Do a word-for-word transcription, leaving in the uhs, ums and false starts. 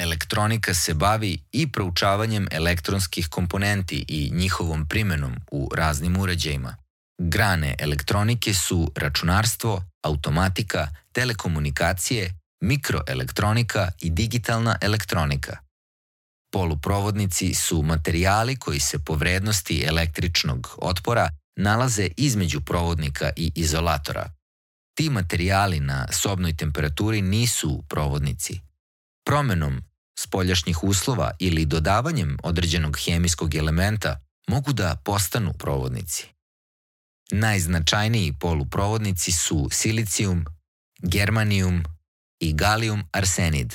Elektronika se bavi i proučavanjem elektronskih komponenti i njihovom primenom u raznim uređajima. Grane elektronike su računarstvo, automatika, telekomunikacije, mikroelektronika i digitalna elektronika. Poluprovodnici su materijali koji se po vrednosti električnog otpora nalaze između provodnika i izolatora. Ti materijali na sobnoj temperaturi nisu provodnici. Promenom spoljašnjih uslova ili dodavanjem određenog hemijskog elementa mogu da postanu provodnici. Najznačajniji poluprovodnici su silicijum, germanijum i galijum arsenid.